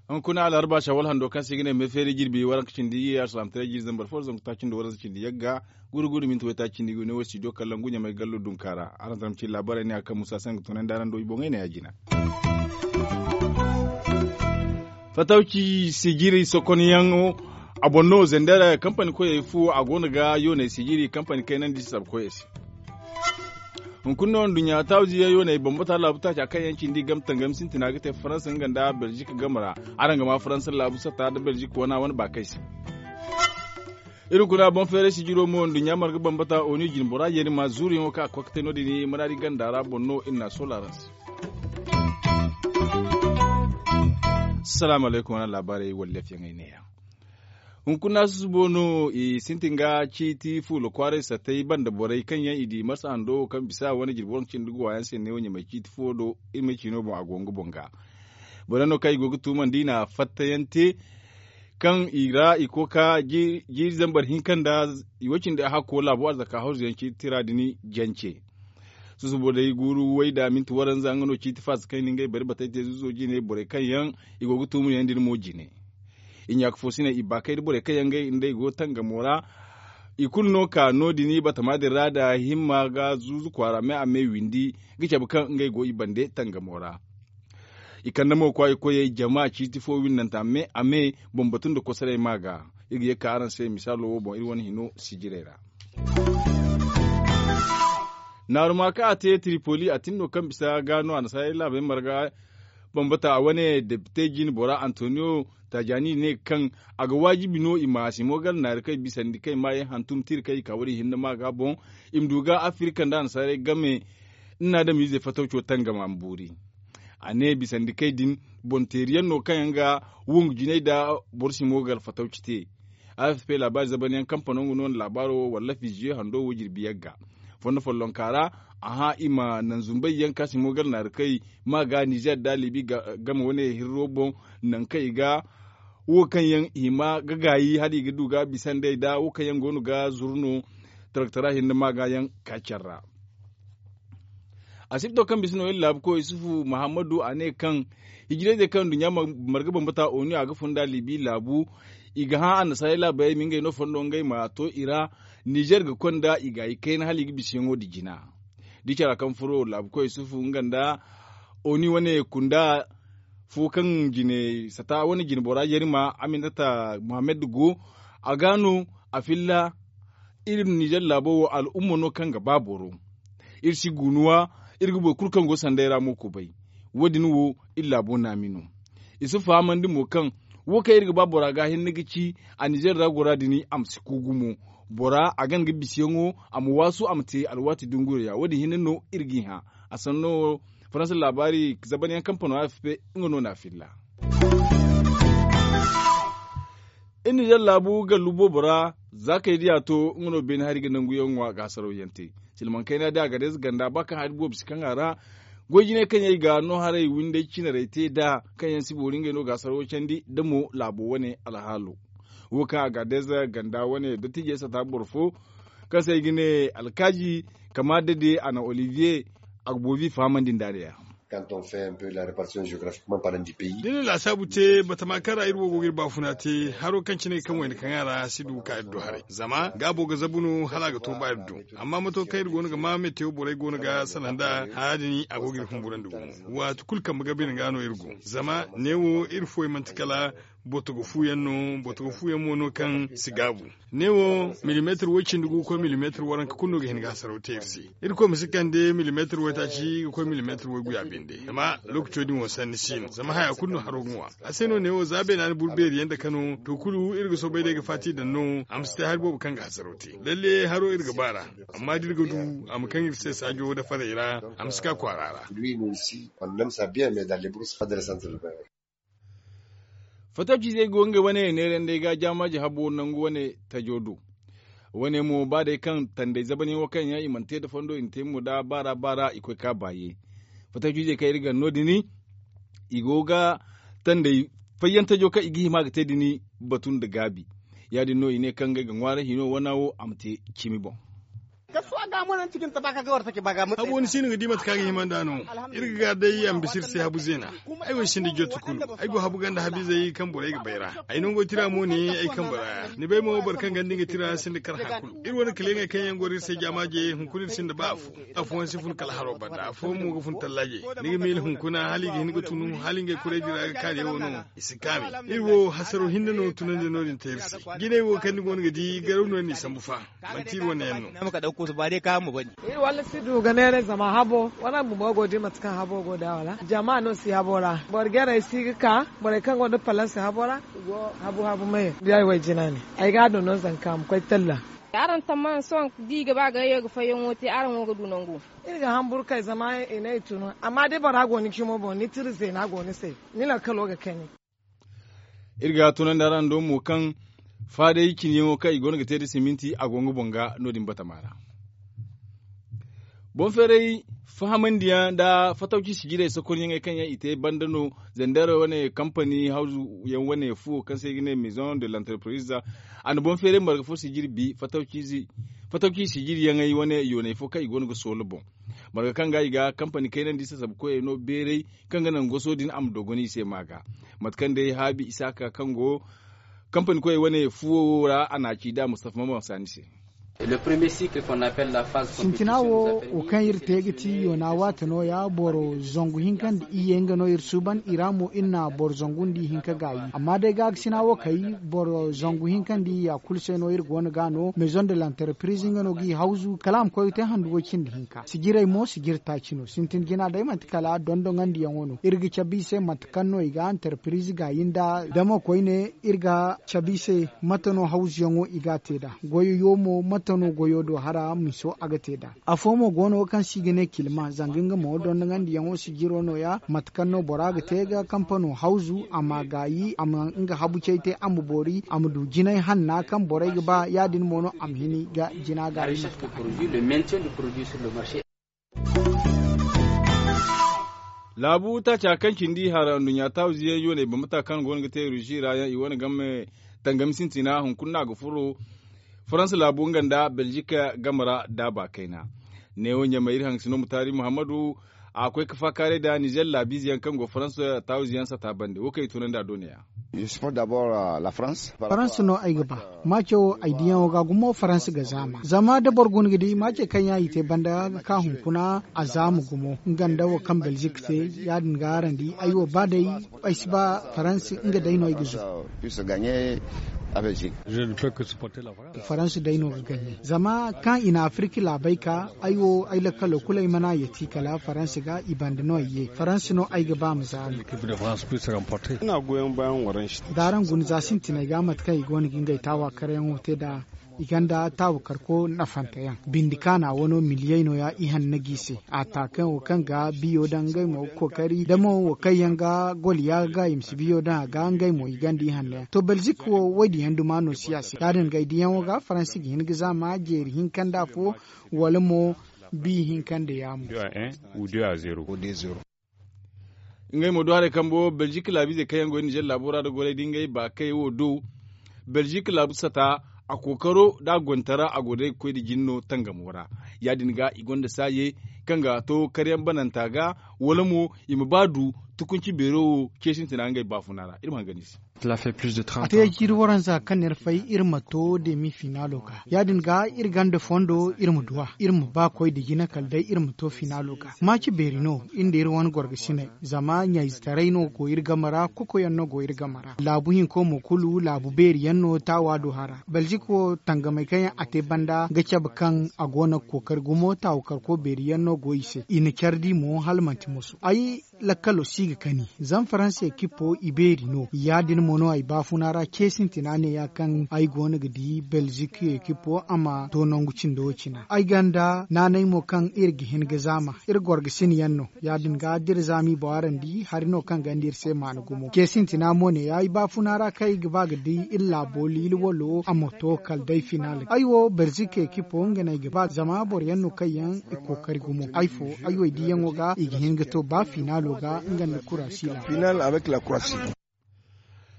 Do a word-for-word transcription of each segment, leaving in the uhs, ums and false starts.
Hunkuna alharba shawal hando kaŋ se i ga ne me feeri jirbi waranka cindi iyye alsalam tare jirbi zambar fo zangu taaci nda waranka cindi yagga guru guru minti waytaaci cindi ga ne wo studio kallaŋ guɲa may gallo dunka ra. Araŋ zama ci laabaarey ne a kaŋ musa se nga tunandi araŋ do i boŋey ne ya jina. Fatawci sijiri sokonyaŋo a boŋ no zender kampani koyey fu a go no ga yooney sijiri kampani kaynandi sabkoyey se. Hunkuna no nduɲɲa taaziya yooney bambata laabu taaca kaŋ yaŋ cindi game tangami sintina ga te faransa nga nda belzik game ra. Araŋ ga ma faransa laabu satta nda belzik wana wane baakay se. Iri kuna boŋ feeray sijiro mo nduɲɲa marga bambata oni jine bora yeeri ma zuuriyaŋo kaŋ a ga koy ga te no- din maraadi ganda ra boŋ no iri na a soola araŋ se. Salaamu alaykum wane laabaarey wala laafiyaŋey neeya. Hunkuna susubo no i sintin ga ciiti fuula kwaaray sattey banda borey kaŋ yaŋ i di marsa hando kaŋ bisa wane jirbi waranka cindi ga waayaŋ se neewo ɲamay ciiti fo do iri ma ciino boŋ a go nga boŋ ga. Borey no kaŋ i go ga tuumandi i na fattayaŋ te kaŋ i ra i koy ka jiiri zambar hinka nda i wo cindi a hakko laabo arzaka hawzu yaŋ ciiti tira din jance. Susubo day guuru wayda minti waranza nga no ciiti faasa kaŋ i na ngey bari batay te zuzo jine borey kaŋ yaŋ i go ga tuumu yaŋ din mo jine. I ɲaaka fo si ne i baakay da borey kaŋ yaŋ ngey nda i go tangamo ra. I kulu no ka no- din batama din ra da himma ga zuuzu kwaara me a me windi ga cabe kaŋ ngey go i bande tangamo ra. I kande mo kwaayikoyey jama ciiti fo winnanta me a me boŋ batu nda kosoray ma ga. Iri ga ye ka araŋ se misaalo wo boŋ iri wane hino sijirey ra. Naaru ma kaŋ a te tripoli a tin no kaŋ bisa ga no annasaarey laabey marga bambata a wane depite jine bora antoniyo tajani ne kaŋ a ga waajibi no i ma simo gar naari kaŋ i bisandi kaŋ i maayaŋ hantum tira kaŋ i ka wo- din hinne ma ga boŋ. I ma du ga afirika nda annasaarey game nna adamiizey fatawco tangama ma boori. A ne bisandikey din boŋ teeri yaŋ no kaŋ yaŋ ga wongu jinay nda boro simo ga alfatawci te. Afp laabaari zaban yaŋ kampano nga no na laabaaro wo walla fiziye hando wo jirbi yagga. Fondo follonka ra a hã i ma naŋ zumbay yaŋ ka simo ga alnaari kay ma ga nizer nda libi game wane hirro boŋ, naŋ kaŋ i ga wo kaŋ yaŋ hima ga gaayi hala i ga du ga bisa nd'ey nda wo kaŋ yaŋ go no ga zuru no. Taraktara hinne ma ga yaŋ ka care ra. Asibto kaŋ bisa no iri laabu koy isufu muhammadu a ne kaŋ hijirayzey kaŋ nduɲɲa marga bambata oni a ga fun nda libi laabu. I ga hã annasaarey laabayey ma ngey no fondo ngey ma to i ra. Nizer ga konda i ga i kayna hala i ga bisa yaŋo nda jina. Da i cara kaŋ furo laabu koy isufu nga nda oni wane kunda fo kaŋ jine sata wane jine bora yarima aminata muhammad go. A ga no a filla iri ma nizer laabo wo al'umma no kaŋ ga ba boro. Iri si gunuwa iri ga boro kulu kaŋ go sanday ra mo kubay. Wo- din wo iri laabo naami no. I si fahamandi mo kaŋ wo kaŋ iri ga ba bora ga hinne ga ci a nizer ra gora din a ma si ku gumo. Bora a gana ga bisiyaŋo a ma waasu a ma te alwaati dunguriya wo- din hinne no iri g'i hã. A sanno faransa laabaari zaban yaŋ kampano afp nga no na a filla. Iri nizer laabu gallu boobo ra za kay diya to nga no beene hari ga nangu yaŋ ŋwa ga hasaraw yaŋ te. Silmaŋ kayna da a ga day za ganda ba kaŋ hari boobo si kaŋ a ra. Goy jinay kaŋ yaŋ i ga no haray winday cinarey te da kaŋ yaŋ si boori ngey no ga hasaraw candi da mo laabo wane alhaalo. Wo kaŋ a ga day za ganda wane dottiijey sata boro fo kaŋ se ay ga ne alkaaji kama dade a na olivier a ga boobi fahamandi nda a ne ya. Quand on fait un peu la répartition géographique da ni na laasaabu te batama kaŋ ra iri wo go ga iri baafuna te haro kaŋ cine kaŋ wayna kaŋ a ra si du ga ka iri do haray zama gaabo ga zabu no hala a ga to ba iri do. Amma mato kaŋ iri go no ga ma metewo borey go no ga salaŋ nd'a hara din a go ga iri humburandi gumo. Waati kulu kambe ga bine ga no iri go zama neewo iri foy manti kala botogo fu yaŋ no botogo fu yaŋ mo no kaŋ si gaabu. Neewo milimeetir way cindi gu ga koy milimeetir waranka kulu no ga hin ga hasaraw te iri se. Irkoy ma si kande milimeetir waytaaci ga koy milimeetir wayguya binde zama lookaco din wo sanni si no zama haya kulu no haro ga ŋwa. A se no neewo za beena ni buru beeri yaŋ dake no to kulu iri ga soobay day ga faati daŋ no a ma si te hari boobo kaŋ ga hasaraw te lalle haro iri ga ba ra. Amma da iri ga du a ma kaŋ iri se saajo nda farey ra a ma si ka kwaara ra. Fatawciizey go ngey wane neerandey ga jaamaaji habo nangu wane tajo do. Wane mo ba day kaŋ tanday zabanyaŋo kaŋ yaŋ i mana te nda fondo i na te mo nda baara baara i koy ka baaye. Fatawciizey kaŋ iri gana no- din i go ga tanday fayyantajo kaŋ i ga hima ga te din batu nda gaabi. Ya- din no i ne kaŋ ngey ga ŋwaaray hino wana wo a ma te cimi boŋ. Habu wani si no ga di mate kaŋ a ga hima nd'a no. Iri ga ga day a ma bisa iri se habu zeena. Ay wo ay sinda jooti kulu. Ay go habu ganda habu izey kaŋ borey ga bayra. Ay nango tira mo ne ay kambe ra. Ni bay mo boro kaŋ ganda nga tira sinda kar hari kulu. Iri wane kaleŋey kaŋ yaŋ goro iri se jaamaaje hunkuna iri sinda ba afo. Afooyaŋ si fun kala haro banda afooyaŋ mo ga fun tallaaje. Ni ga miila hunkuna hala i ga hin ga tunu hala ngey kurey din ra ga kaani yaŋ wo no. I si kaami. Iri wo hasaro hinne no tunandi no- din te iri se. Jinay wo kaŋ ni go no ga di garaw no ni sambu fa. Manti iri wane yaŋ no. Iri walla si du ga neeray zama habo wala bumbo go di mate kaŋ habo go da wala jama no si habo ra. Boro jarey si ga ka borey kaŋ go nda palansi habo ra. Habu habu me. Ay way jina ne. Ay ga a do no zanka a ma koy talla. Araŋ tammahan sohõ da i ga ba ga yayo ga fayyaŋo te araŋ wo ga du nangu. Iri ga hamburu kay zama i ne i tunu amma da bora go ni cimo boŋ ni tira zeena go ni se. Ni lakkalo ga kani. Iri ga tunandi araŋ do mo kaŋ faaday ciniyaŋo kaŋ i go no ga te nda siminti a go nga boŋ ga no- din batama ra. Boŋ feeray fahamandiyaŋ nda fatawci sijirey sokonyaŋey kaŋ yaŋ i te banda no. Zandar wane kampani hawzu yaŋ wane fuwo kaŋ se i ga ne maison de l'entreprise. A na boŋ feeray marga fo sijiri bi fatawci sijiriyaŋey wane yooney fo kaŋ i go no ga soola boŋ. Marga kaŋ ga i ga kampani kaynandi sasabu koyey no beeray kaŋ ga naŋ goso din a ma dogon i se ma ga. Mate kaŋ day haabi isaaka kaŋ go kampani koyey wane fuwo wo ra a na a ci da mustafa mamaŋ saani se. Sintina wo wo kaŋ iri te ga ti yoona waate no- ya boro zangu hinka nda iyye nga no iri suuban i ra mo iri na boro zangu nda ihinka gaayi amma day gaakasina wo kay boro zangu hinka nda iyya kulu se no iri go no ga no maison de l'entreprise nga no ga i hawzu kala a ma koy ga te handu way cindi hinka sijirey mo sijiri taaci no sintin jina day manti kala dondoŋandiyaŋo no iri ga cabe i se mate kaŋ no i ga entreprise gaayi nda damo koyne iri ga cabe i se mate no hawzuyaŋo i ga a te nd'a goyo yo mo mate no goyo do hara miso a ga te nd'a. Afo mo go no kaŋ se i ga ne kilma zanga nga mo dondoŋandiyaŋo sijiro no- ya mate kaŋ no bora ga te ga kampano hawzu a ma gaayi a ma nga habu cay te a ma boori a ma du jinay hanna kaŋ borey ga ba ya- din mo no a ma hini ga jina gaayi mate kaŋ a ga. Laabu taaca kaŋ cindi hara nduɲɲa taawiziyaŋ yooney bambata kaŋ go no ga te rusi ra yaŋ i wane game tangami sintina hunkuna no a ga furo faransa laabu nga nda belzik game ra daaba kayna. Neewo ɲamay iri haŋ ga si no mutaari muhammadu a koy ga faakaaray nda nizer laabiize yaŋ kaŋ go faransa taawize yaŋ sata bande wo kaŋ i tunandi a do ne- ya. Faransa no ay ga ba. Maaco wo ay diyaŋo ga gumo faransa ga zaama zama da boro guna ga di maace kaŋ yaŋ i te banda ga ka hunkuna a zaama gumo nga nda wo kaŋ belzik te ya- din ga araŋ di ay wo ba day ay si ba faransa nga day no ay ga zuru. Faransa day no ga gaɲe zama kaŋ i na afirki laabey ka ay wo ay lakkalo kulu ay mana yeti kala faransa ga i banda no ay ye faransa no ay ga ba ma zaari. D'araŋ guna za sintinay ga mate kaŋ i go no ga ngey taawa karyaŋo te nd'a i gonda taawa karko nafanteyaŋ bindi kaana wano miliyey no- ya i hanna g'i se a taakayaŋ wo kaŋ ga biyo daŋ ngey mo ga kookari damo wo kaŋ yaŋ ga goliya ga i ma si biyo daŋ a ga ngey mo i gonda i hanna yaŋ to belzik wo wo- din yaŋ duma no si a se ya- din ga ay diyaŋo ga faransi ga hin ga zaama jeeri hinka nda afo wala mo bi hinka nda yaamo. Ngey mo do haray kambo belzik laabiizey kaŋ yaŋ go nizer laabo ra nda goray da ngey baakey wo do belzik laabu sata a kookaro nda a gontara a go day ga koy nda jin no tangamo ra. Ya- din ga i gonda saaye kaŋ ga to karyaŋ bananta ga wala mo i ma ba du tukunci beero wo ce sintina ngey baafuna ra iri ma hangan i se. A te jiiri waranza kaŋ no iri fay iri ma to demi finaalo ga ya- din ga iri gonda fondo iri ma duw'a iri ma ba koy nda jina kala day iri ma to finaalo ga. Maaci beeri no iri nda iri wane gorgasiney zama ɲayzetaray no go iri game ra kokoyaŋ no go iri game ra laabu hinko mo kulu laabu beeri yaŋ no taawa do hara belzik wo tangamey kaŋ yaŋ a te banda ga cabe kaŋ a go no ga kookari gumo taawa karko beeri yaŋ no go i se i na care di mo hala manti moso ay lakkalo si ga kani zama faransa ekipo i beeri no ya- din mo no ay baafuna ra ce sintina ne ya kaŋ ay go no ga di belzik ekipo a ma to nangu cindo wo cina ay gonda naanay mo kaŋ iri ga hin ga zaama iri gorgasin yaŋ no ya- din ga da iri zaama i boŋ araŋ di hari no kaŋ gonda iri se maana gumo ce sintina mo ne ya ay baafuna ra kaŋ ay ga ba ga di iri laabo liili walo a ma to kala day finaal ay wo belzik ekipo nga no ay ga ba zama boro yaŋ no kaŋ yaŋ i kookari gumo ay fo ay wo ay diyaŋo ga i ga hin ga to ba finaalo ga nga nda kurasi laabo.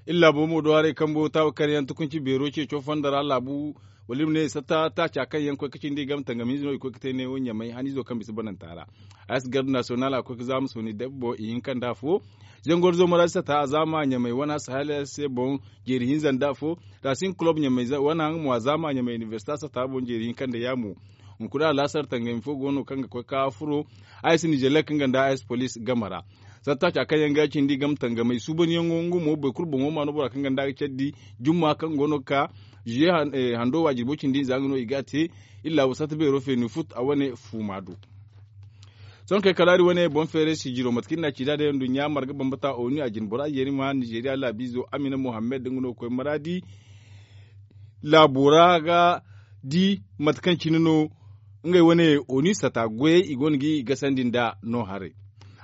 Iri laabo mo do haray kambo taawa kaŋ yaŋ tukunci beero ceeco fondo ra laabu wala iri ma ne satta taaca kaŋ yaŋ koy ga cindi game tangam hinza no i koy ga te neewo ɲamay haniizo kaŋ bisa bananta ra. Aysi garde nasiyonal a koy ga zaama sooni dabbo i hinka nda afo. Zangor zo maraadi sata a zaama ɲamay wane sahel se boŋ jeeri hinza nda afo. Racine kulob ɲamay wane haŋ mo a zaama ɲamay inibersita sata boŋ jeeri hinka nda yaamo. Hunkuna alaasar tangami fo go no kaŋ ga koy ga furo. Aysi nizelek nga nda aysi poliis game ra. Satta ca kaŋ yaŋ ga cindi game tangamey suubanyaŋo nga mo boro kulu boŋo ma no bora kaŋ ga nda ga care di jumma kaŋ go no ga ka ziye hando waajirbo cindi hinza nga no i ga a te. Iri laabu satta beero feeni fut a wane fuuma do. Sohõ kay kala iri wane boŋ feeray sijiro mate kaŋ iri n'a ci da day nduɲɲa marga bambata onu a jine bora yeeri ma nizeeriya laabiizo amina muhammad nga no ga koy maraadi. Laabo ra ga di mate kaŋ cine no ngey wane onu sata goyey i go no ga i gasandi nda no haray.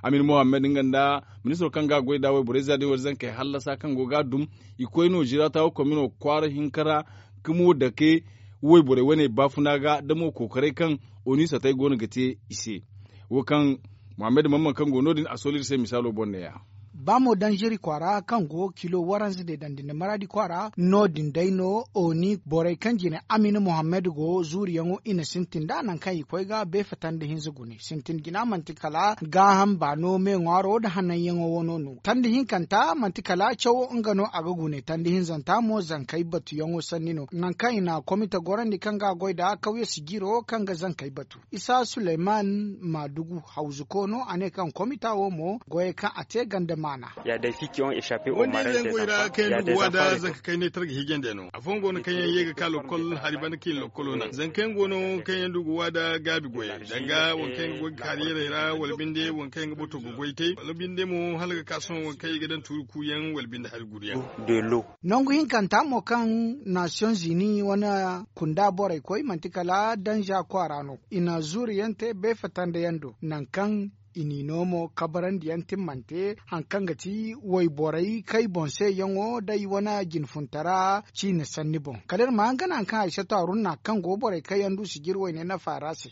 Amin muhammad nga nda ministiro kaŋ ga a goy nd'a wayborey za day wala zankey hallasa kaŋ go ga a dum. I koy no zirata wo komino kwaara hinka ra ka mo dake wayborey wane baafuna ga da mo kookaray kaŋ onu satey go no ga te i se. Wo kaŋ muhammad mamman kaŋ go no- din a sooli iri se misaalo boŋ ne- ya. Ba mo danziri kwaara kaŋ go kilo waranza deedandi nda maraadi kwaara no- din day no oni borey kaŋ jine amina muhammad go zuuriyaŋo i na sintin nd'a nangu kaŋ i koy ga beefa tanda hinza gune sintin jina manti kala gaaham baano me ŋwaaro nda hananyaŋo wano no tanda hinkanta manti kala cawo nga no a ga gune tanda hinzanta mo zankey batuyaŋo sanni no nangu kaŋ i na komite gorandi kaŋ ga a goy nd'a kawye sijiro kaŋ ga zankey batu isa suleyman maadugu hawzuko no a ne kaŋ komita wo mo goyey kaŋ a te ganda maana. Wande ize yaŋ goy ra kaŋ yaŋ du ga waada zanka kaynay targa hiijandey no afooyaŋ go no kaŋ yaŋ ye ga ka lokkol hari banda kaŋ i na lokkolo naŋ zanka yaŋ go no kaŋ yaŋ du ga waada gaabi goyey danga waŋ kaŋ yaŋ ga goy ga kaariyerey ra wala binde waŋ kaŋ yaŋ ga bato ga goy te wala binde mo hala ga ka sohõ waŋ kaŋ i ga daŋ tuuri kuuyaŋ wala binde hari guruyaŋ. Nangu hinkanta mo kaŋ nasiyoŋ zini wane kunda borey koy manti kala danza kwaara no i na zuuriyaŋ te beefatanda yaŋ do nangu kaŋ i n'i no mo kabarandi yaŋ timmante hari kaŋ ga ti wayborey kay boŋ se yaŋo day wane jinfuntara ciine sanni boŋ kala iri ma hanga naŋ kaŋ ay sato haruna kaŋ go borey kay yaŋ du sijir wayne nafa ra se.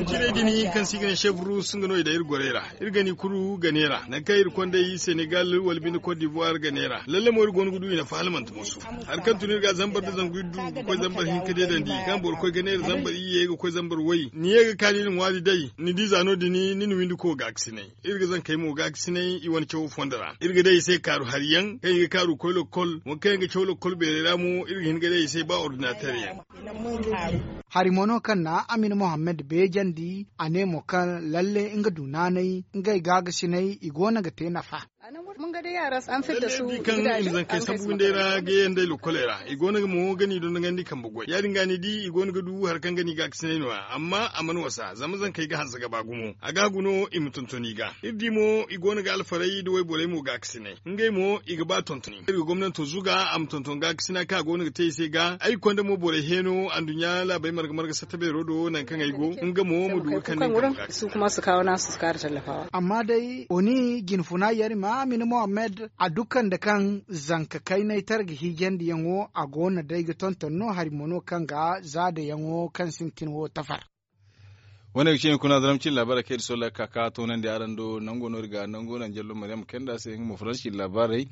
Jinay din kaŋ se i ga ne chef rus nga no i daŋ iri gorey ra iri gani kulu gane ra nangu kaŋ iri kondey senegal wala binde kot divoire gane ra lalle mo iri go no ga du i nafa hala manti musu. Hari kaŋ tun iri ga zambar da zangu iri du ga koy zambar hinka deedandi kaŋ boro koy ga neera zambar iyye ga koy zambar way ni ye ga ka ni na ŋwaari day ni di za no- din ni na windi ko gaakasinay iri ga zankey mo gaakasinay i wane cawo fondo ra iri ga day i se kaaru hari yaŋ kaŋ i ga kaaru ga koy lokkol waŋ kaŋ yaŋ ga caw lokkol beerey ra mo iri ga hin ga day i se ba ordinateer yaŋ. Hari mo no kaŋ na amin muhammad beejandi a ne mo kaŋ lalle nga du naanay ngey gaagasinay i go no ga te nafa. Kaŋ i na zankey sambu windey ra ga yaŋ day lokkoley ra i go no ga mo ga ni dondogandi kambe goy ya- din ga ni di i go no ga du hari kaŋ ga ni gaakasinay no- ya amma a mana wasa zama zankey ga hanse ga ba gumo a ga hagu no i ma tonton i ga iri di mo i go no ga alfarey nda wayborey mo gaakasinay ngey mo i ga ba tontoni iri ga gomnanto zuga a ma tonton gaakasina kaŋ a go no ga te i se ga ay konda mo borey heeno anduɲɲa laabey marga marga satta beero do nangu kaŋ ay go nga mo ma du ga kande nga kambe gaakasina. Amma day oni jinfuna yarima mini muhammad a dukkan nda kaŋ zanka kaynay targa hiijandiyaŋo a go no day ga tonton no hari mo no kaŋ ga zaadayaŋo kaŋ sintin wo tafar. Wane ga cine kuna zaram cin labaarey kaŋ iri solla ga ka ka toonandi araŋ do nango no iri ga nango naŋ jallo maryam kayna se nga mo faransi cin labaarey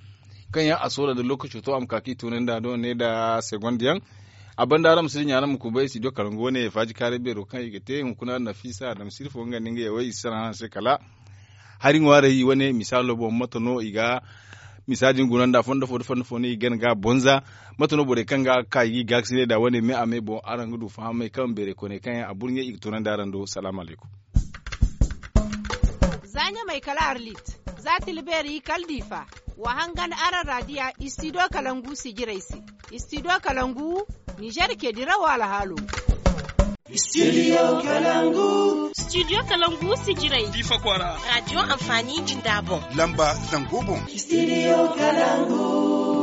kaŋ yaŋ a solla nda lookaco to a ma ka ka i toonandi a do ne nda segond yaŋ. A banda araŋ ma si dinya araŋ ma kubay studio kalangu wane faaji kaaray beero kaŋ i ga te hunkuna nafisa adama sirfo nga nda nga yawey i si sara araŋ se kala hari ŋwaarey wane misaalo boŋ mate no i ga misa din guna nda fondo fo da fondo fo no i gana ga bonza. Mate no borey kaŋ ga ka i ga i gaakasinay da wane me a me boŋ araŋ ga du fahamay kaŋ beeray kooney kaŋ yaŋ a burɲey i ga toonandi araŋ do salaamu alaykum. Za ɲamay kala arlit za tilbeeri kala diifa wa hangan araŋ raadiya istidiyo kalangu sijirey se. Istidiyo kalangu ninzeer ce dirawo alhaalo. Studio kalangu. Studio kalangu sijirey diifa kwaara. Raadiyo anfaani jinda boŋ lamba zango boŋ. Studio kalangu.